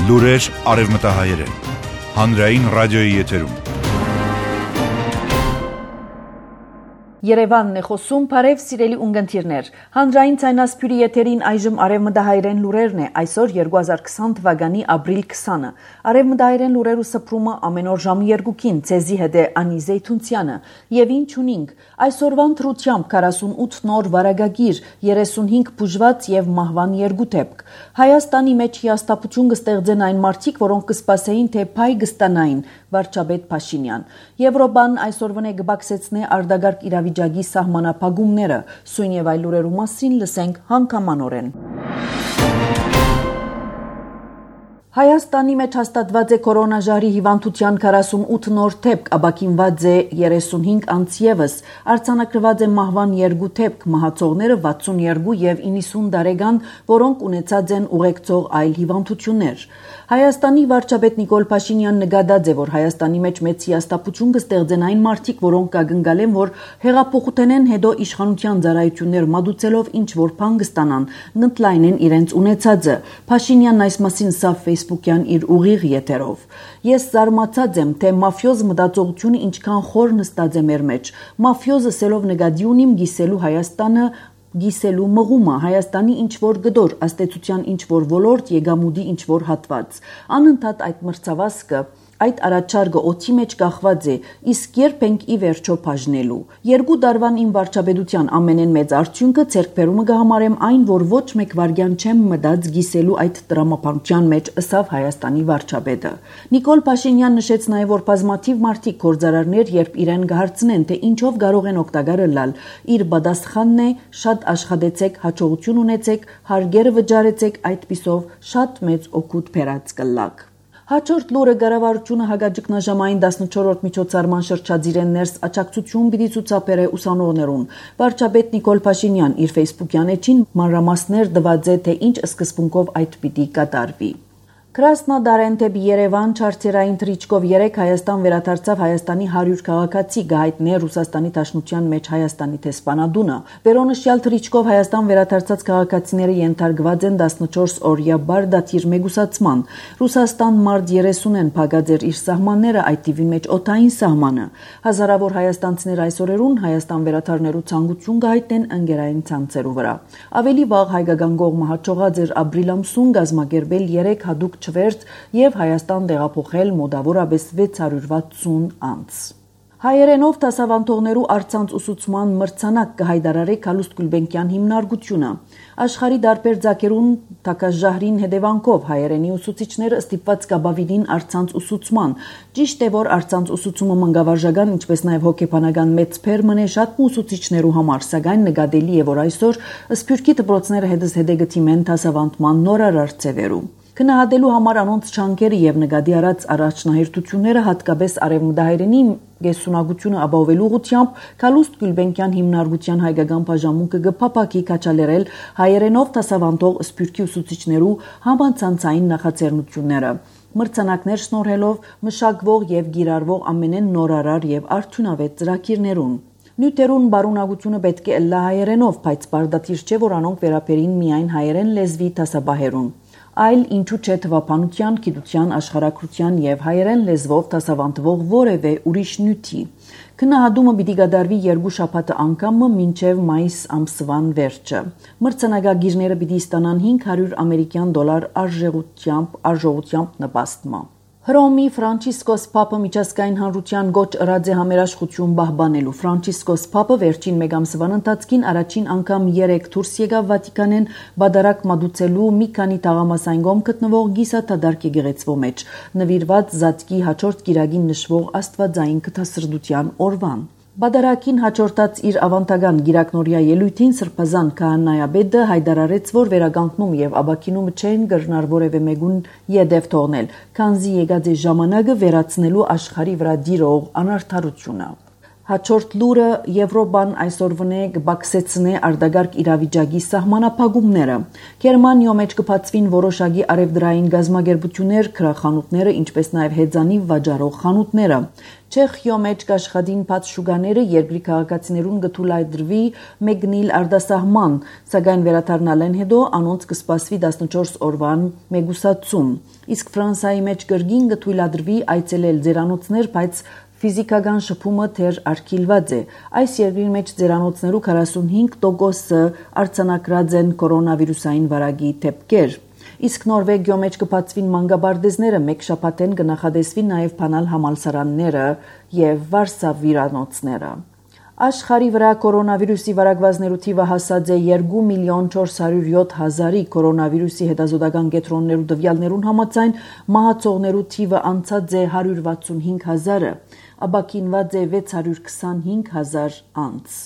Լուրեր արևմտահայերեն, հանրային ռադիոյի եթերում։ Երևանն է խոսում, բարև սիրելի ունգընտիրներ։ Հանրային ցայնասփյուրի եթերին այժմ արևմտահայերեն լուրերն է, այսօր 2020 թվականի ապրիլ 20-ը։ Արևմտահայերեն լուրերու սփռումը ամեն օր ժամը 2-ին, ցեզի հետ է Անի Զեյթունցյանը։ Եվ ինչ ունինք, այսօրվան թրությամբ 48 նոր վարակագիր, 35 բուժված եւ մահվան 2 դեպք։ Հայաստանի մեջ հիաստապություն կստեղծեն այն մարդիկ, որոնք կսպասեին, թե փայ կստանային, վարչապետ Փաշինյան։ Եվրոպան այսօրվան է կբացեցնե արդագարգ իրավիճակի սահմանափակումները, սույն եւ այլ լուրերու մասին լսենք հանգամանորեն։ Հայաստանի մեջ հաստատված է կորոնաժարի հիվանդության 48 նոր դեպք, ապաքինված է 35 անց ևս, արձանագրված է մահվան 2 դեպք, մահացողները 62 եւ 90 տարեկան, որոնք ունեցած են ուղեկցող այլ հիվանդություններ։ Հայաստանի վարչապետ Նիկոլ Փաշինյանն նկատած է, որ Հայաստանի մեջ մեծ հիաստապություն կստեղծեն այն մարդիկ, որոնք կգնկալեն, որ հեղափոխութենեն հետո իշխանության ծառայություններ մատուցելով ինչ որ բան կստանան, նտլայնեն իրենց ունեցածը։ Փաշինյանն այս մասին սա Facebook-յան իր ուղիղ եթերով։ Ես զարմացած եմ, թե մաֆիոզ մտածողությունը ինչքան խոր նստած է մեր մեջ։ Մաֆիոզը սելով նկատի ունիմ գիսելու Հայաստանը գիսելու մղումը, Հայաստանի ինչ-որ գդոր, աստեցության ինչ-որ ոլորտ, եկամուտի ինչ-որ հատված։ Անընդհատ այդ մրցավազքը, այդ առաջարկը օդի մեջ կախված է, իսկ երբ ենք ի վերջո բաժնելու։ 2 տարվան իմ վարչապետության ամենեն մեծ արդյունքը ձեռքբերումը կհամարեմ այն, որ ոչ մեկ վարյան չեմ մտած գիսելու այդ տրամաբանության մեջ, ըսավ Հայաստանի վարչապետը։ Նիկոլ Փաշինյանն նշեց նաև, որ բազմաթիվ մարդիկ գործարարներ, երբ իրեն կհարցնեն, թե ինչով կարող են օգտակարը լալ, իր պատասխանն է՝ շատ աշխատեցեք, հաջողություն ունեցեք, հարգերը վճարեցեք, այդպիսով շատ մեծ օգուտ բերած կլակ։ Հաջորդ լուրը կառավարությունը հագաճգնաժամային 14-րդ միջոցառման շրջադիրեն ներս աջակցություն պիտի ցուցաբերե ուսանողներուն։ Վարչապետ Նիկոլ Փաշինյան իր Facebook-յան էջին մանրամասներ տված է, թե ինչ սկզբունքով այդ պիտի կատարվի։ Կրասնոդարեն դեպի Երևան չարտերային թռիչքով 3 Հայաստան վերադարձավ Հայաստանի 100 քաղաքացի գահիտնե Ռուսաստանի Դաշնության մեջ Հայաստանի տեսփանադունը։ Վերոնշյալ թռիչքով Հայաստան վերադարձած քաղաքացիները ենթարկված են 14 օրյա բարդաթիր մեգուսացման։ Ռուսաստան մարտ 30-ին փակած էր իր սահմանները, այդ թիվի մեջ օդային սահմանը։ Հազարավոր հայաստանցիներ այս օրերուն Հայաստան վերադառնալու ցանկություն կհայտնեն ընկերային ցանցերու վրա։ Ավելի վաղ հայկական կողմը հաջողած էր ապրիլ ամսուն կազմակերպել 3 հատուկ չվերթ եւ Հայաստան տեղափոխել մոտավորապես 660 անց։ Հայերենով դասավանդողներու առցանց ուսուցման մրցանակ կհայտարարի Քալուստ Գուլբենկյան հիմնարկությունը։ Աշխարհի դարբեր ձակերուն տակաժահրին հետևանքով հայերենի ուսուցիչները ստիպված կաբավիդին առցանց ուսուցման։ Ճիշտ է, որ առցանց ուսուցումը մանկավարժական, ինչպես նաև հոգեբանական մեծ փերմն է շատ ուսուցիչներու համար, սակայն նկատելի է, որ այսօր սփյուռքի դպրոցները հետզհետե գտիմեն դասավանդման նորարար ձևերու։ Քննադատելու համար անոնց չանկերը եւ նկատի առած առաջնահերթությունները հատկապես արևմտահայերենի գեսունակությունը ապահովելու ուղղությամբ Քալուստ Գուլբենկյան հիմնարկության հայկական բաժանմունքը կփապակի կաչալերել հայերենով դասավանդող սփյուռքի ուսուցիչներու համացանցային նախաձեռնությունները։ Մրցանակներ շնորհելով մշակվող եւ գիրառվող ամենեն նորարար եւ արդյունավետ ծրագիրներուն։ Նյութերուն բարունակությունը պետք է ըլլա հայերենով, բայց բարդաթիր չէ, որ անոնք վերապերին միայն հայերեն լեզվի դասաբահերուն։ Այլ ինչու չէ թվապանության, գիտության, աշխարհագրության եւ հայերեն լեզվով դասավանդվող որևէ ուրիշ նյութի։ Քննադատումը պիտի կատարվի 2 շաբաթը անգամը մինչև մայիս ամսվան վերջը։ Մրցանակագիրները պիտի ստանան $500 արժողությամբ նպաստմա։ Հռոմի Ֆրանցիսկոս Փապը միջազգային հանրության գոչ ըրած է համերաշխություն պահպանելու։ Ֆրանցիսկոս Փապը վերջին մեկ ամսվան ընթացքին առաջին անգամ 3 դուրս եկավ Վատիկանեն բադարակ մատուցելու մի քանի թաղամասային կողմ գտնվող գիսաթադարք եկեղեցվո մեջ, նվիրված Զատկի հաջորդ գիրագին նշվող աստվածային կթասրդության օրվան։ Բադարակին հաջորդած իր ավանդական գիրակնորյա ելույթին սրբազան քահանայապետը հայտարարեց, որ վերականգնում եւ ապաքինումը չեն կրնար որևէ մեկուն յետև թողնել, քանզի եկած է ժամանակը վերացնելու աշխարհի վրա դիրող անարդարությունը։ Հաջորդ լուրը Եվրոպան այսօր վնե կբացեցնե արտագարկ իրավիճակի սահմանափակումները։ Գերմանիո մեջ կբացվին որոշակի արևդրային գազམ་ագերբություններ, քրախանութները, ինչպես նաև հեծանիվ վաճառող խանութները։ Չեխիո մեջ կաշխատին բաց շուկաները երկրի քաղաքացիներուն կթույլատրվի մեկնիլ արտասահման, սակայն վերադառնալեն հետո անոնց կսպասվի 14 օրվան մեգուսացում։ Իսկ Ֆրանսիայի մեջ կրգին կթույլատրվի այցելել ձերանոցներ, բայց ֆիզիկական շփումը թեր արգելված է։ Այս երկրի մեջ ձերանոցներու 45%-ը արձանագրած են կորոնավիրուսային վարակի դեպքեր։ Իսկ Նորվեգիո մեջ կբացվին մանկաբարձները, մեկ շաբաթեն կնախադեсվի նաև բանալ համալսարանները եւ վարսավիրանոցները։ Աշխարհի վրա կորոնավիրուսի վարակվածներու թիվը հասած է 2,407,000-ի, կորոնավիրուսի հետազոտական կենտրոններու տվյալներուն համաձայն մահացողներու թիվը անցած է 165,000-ը, ապակինված է 625,000 անց։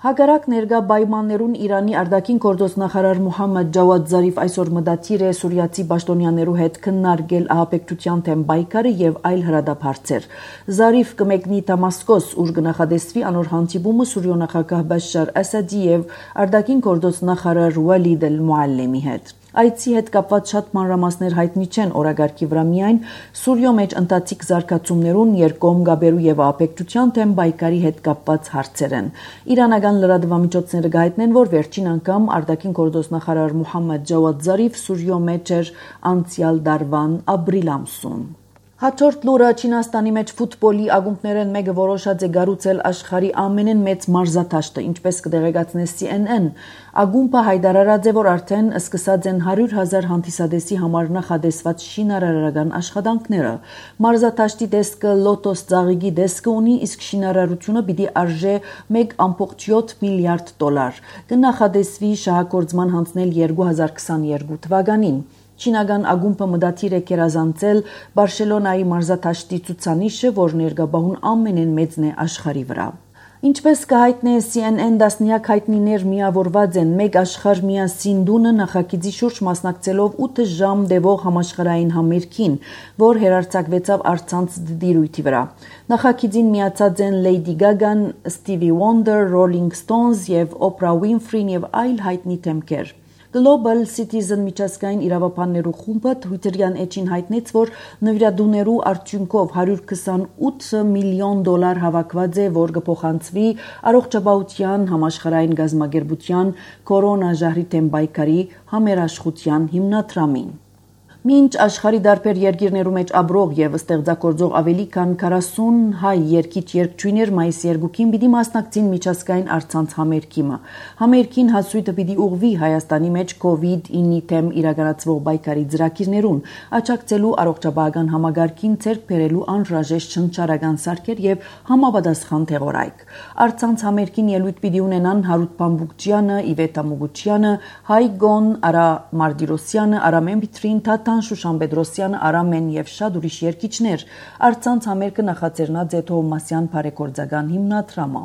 Հակառակ ներկա պայմաններուն Իրանի արտաքին գործոստ նախարար Մոհամմեդ Ջավադ Զարիֆ այսօր մտադիր է սուրիացի պաշտոնյաներու հետ քննարկել ահաբեկչության թեմ պայքարը եւ այլ հրադադարեր։ Զարիֆ կմեկնի Դամասկոս, ուր կնախադեсվի անոր հանդիպումը Սուրիո նախագահ Բաշար Ասադի եւ արտաքին գործոստ նախարար Վալիդ Էլ-Մուալլեմի հետ։ Այցի հետ կապված շատ մանրամասներ հայտնի չեն օրագարկի վրա միայն Սուրիո մեջ ընթացիկ զարգացումներուն երկկողմ գաբերու եւ ահաբեկչության թեմ պայքարի հետ կապված հարցեր են։ Իրանական լրատվամիջոցները գայտնեն, որ վերջին անգամ արտաքին գործոստ նախարար Մոհամմեդ Ջավադ Զարիֆ Սուրիո մեջ էր անցյալ դարվան ապրիլ ամսուն։ Հաջորդ լուրը Չինաստանի մեջ ֆուտբոլի ակումբներեն մեկը որոշած է գառուցել աշխարհի ամենեն մեծ մարզադաշտը, ինչպես կդեղեկացնե CNN։ Ակումբը հայտարարած է, որ արդեն սկսած են 100,000 հանդիսադեսի համար նախադեсված շինարարական աշխատանքները։ Մարզադաշտի դեսկը Լոտոս ծաղիկի դեսկը ունի, իսկ շինարարությունը պիտի արժե 1.7 միլիարդ դոլար։ Կնախադեсվի շահագործման հանձնել 2022 թվականին։ Չինական ակումբը մտադիր է գերազանցել Բարսելոնայի մարզադաշտի ցուցանիշը, որ ներկայաբահուն ամենեն մեծն է աշխարհի վրա։ Ինչպես կհայտնի CNN, դասնյակ հայտնիներ միավորված են մեկ աշխարհ միասին դունը նախագիծի շուրջ մասնակցելով 8 ժամ տևող համաշխարհային համերգին, որ հերարցակվեցավ առցանց դիրույթի վրա։ Նախագիծին միացած են Lady Gaga, Stevie Wonder, Rolling Stones եւ Oprah Winfrey եւ այլ հայտնի դեմքեր։ Global Citizen միջազգային իրավաբաններու խումբը Twitter-յան էջին հայտնեց, որ նվիրատուներու արդյունքով 128 միլիոն դոլար հավաքված է, որ կփոխանցվի առողջապահության համաշխարհային գազམ་ագերբության կորոնաժահրի թեմ պայքարի համերաշխության հիմնադրամին։ Մինչ աշխարհի դարբեր երկիրներու մեջ ապրող եւ ստեղծագործող ավելի քան 40 հայ երգիչ-երգչուհիներ մայիսի 2-ին պիտի մասնակցին միջազգային առցանց համերգիմը։ Համերգին հասույթը պիտի ուղղվի Հայաստանի մեջ COVID-9-ի թեմ իրականացվող պայքարի ծրագիրներուն, աջակցելու առողջապահական համագարկին ցերկ բերելու անհրաժեշտ շնչառական սարքեր եւ համապատասխան թեղորայք։ Առցանց համերգին ելույթ պիտի ունենան Հարութ Բամբուկչյանը, Իվետա Մուգուչյանը, Հայգոն, Արա Մարտիրոսյանը, Արամեն Պիտրին, Շուշան Պետրոսյանը, Արամեն եւ շատ ուրիշ երգիչներ։ Առցանց համերգը նախաձեռնած է Թովմասյան բարեգործական հիմնադրամը։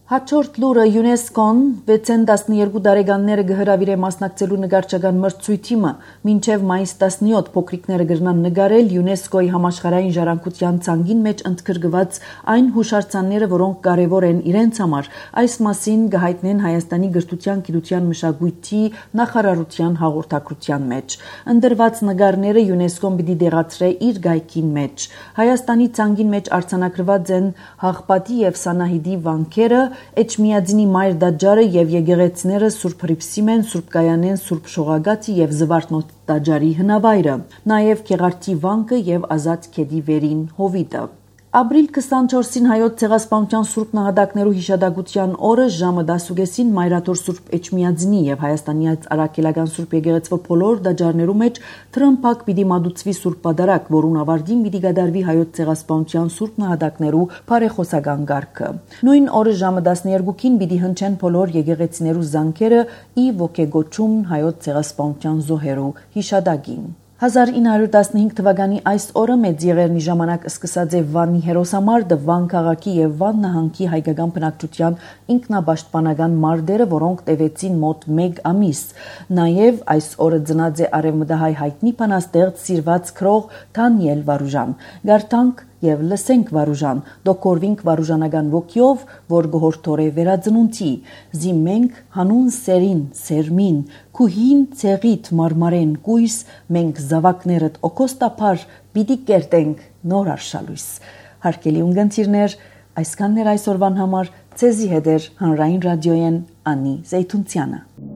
Հաջորդ լուրը ՅՈՒՆԵՍԿՕ-ն 6-12 տարեկանները կհրավիրե մասնակցելու նկարչական մրցույթը, մինչև մայիս 17 փոքրիկները կգրնան նկարել ՅՈՒՆԵՍԿՕ-ի համաշխարհային ժառանգության ցանկին մեջ ընդգրկված այն հուշարձանները, որոնք կարևոր են իրենց համար։ Այս մասին կհայտնեն Հայաստանի գրթության, գիտության, մշակույթի նախարարության հաղորդակցության մեջ։ Ընդրված նկարները ՅՈՒՆԵՍԿՕ-ն պիտի դեղացրե իր գայքին մեջ։ Հայաստանի ցանկին մեջ արձանագրված են Հաղպատի եւ Սանահիդի վանքերը, Էջմիածնի մայր դաջարը եւ եկեղեցիները Սուրբ Հռիփսիմեն, Սուրբ Կայանեն, Սուրբ Շողագաթի եւ Զվարթնոց դաջարի հնավայրը, նաեւ Քեղարտի վանքը եւ Ազատ քեդի վերին հովիտը։ Ապրիլ 24-ին հայոց ցեղասպանության Սուրբ նահատակներու հիշատակության օրը ժամը 10:00-ին Մայրաթոր Սուրբ Էջմիածնի եւ Հայաստանի Արաքելական Սուրբ եկեղեցվո բոլոր դաջարներու մեջ թրմփակ պիտի մատուցվի Սուրբ Պատարագ, որուն ավարտին պիտի կատարվի հայոց ցեղասպանության Սուրբ նահատակներու բարեխոսական կարգը։ Նույն օրը ժամը 12-ին պիտի հնչեն բոլոր եկեղեցիներու զանգերը ի ոգեգոճում հայոց ցեղասպանության զոհերու հիշատակին։ 1915 թվականի այս օրը մեծ եղերնի ժամանակ սկսած է Վանի հերոսամարտը, Վան քաղաքի եւ Վան նահանգի հայկական բնակչության ինքնապաշտպանական մարտերը, որոնք տևեցին մոտ 1 ամիս։ Նաեւ այս օրը ծնած է արևմտահայ հայտնի բանաստեղծ սիրված քրող Դանիել Վարուժան։ Գարտանք եւ լսենք Վարուժան, դոկորվինք վարուժանական ոգյով, որ գորթորե վերածնունցի, զիմենք հանուն սերին, սերմին, քուհին ցեղիտ մարմարեն կույս, մենք զավակներդ օկոստապար պիտի կերտենք նոր արշալույս։ Հարկելի ունգընտիրներ, այսքանն էր այսօրվան համար, ցեզի հետ էր հանրային ռադիոյեն Անի Զեյթունցյանը։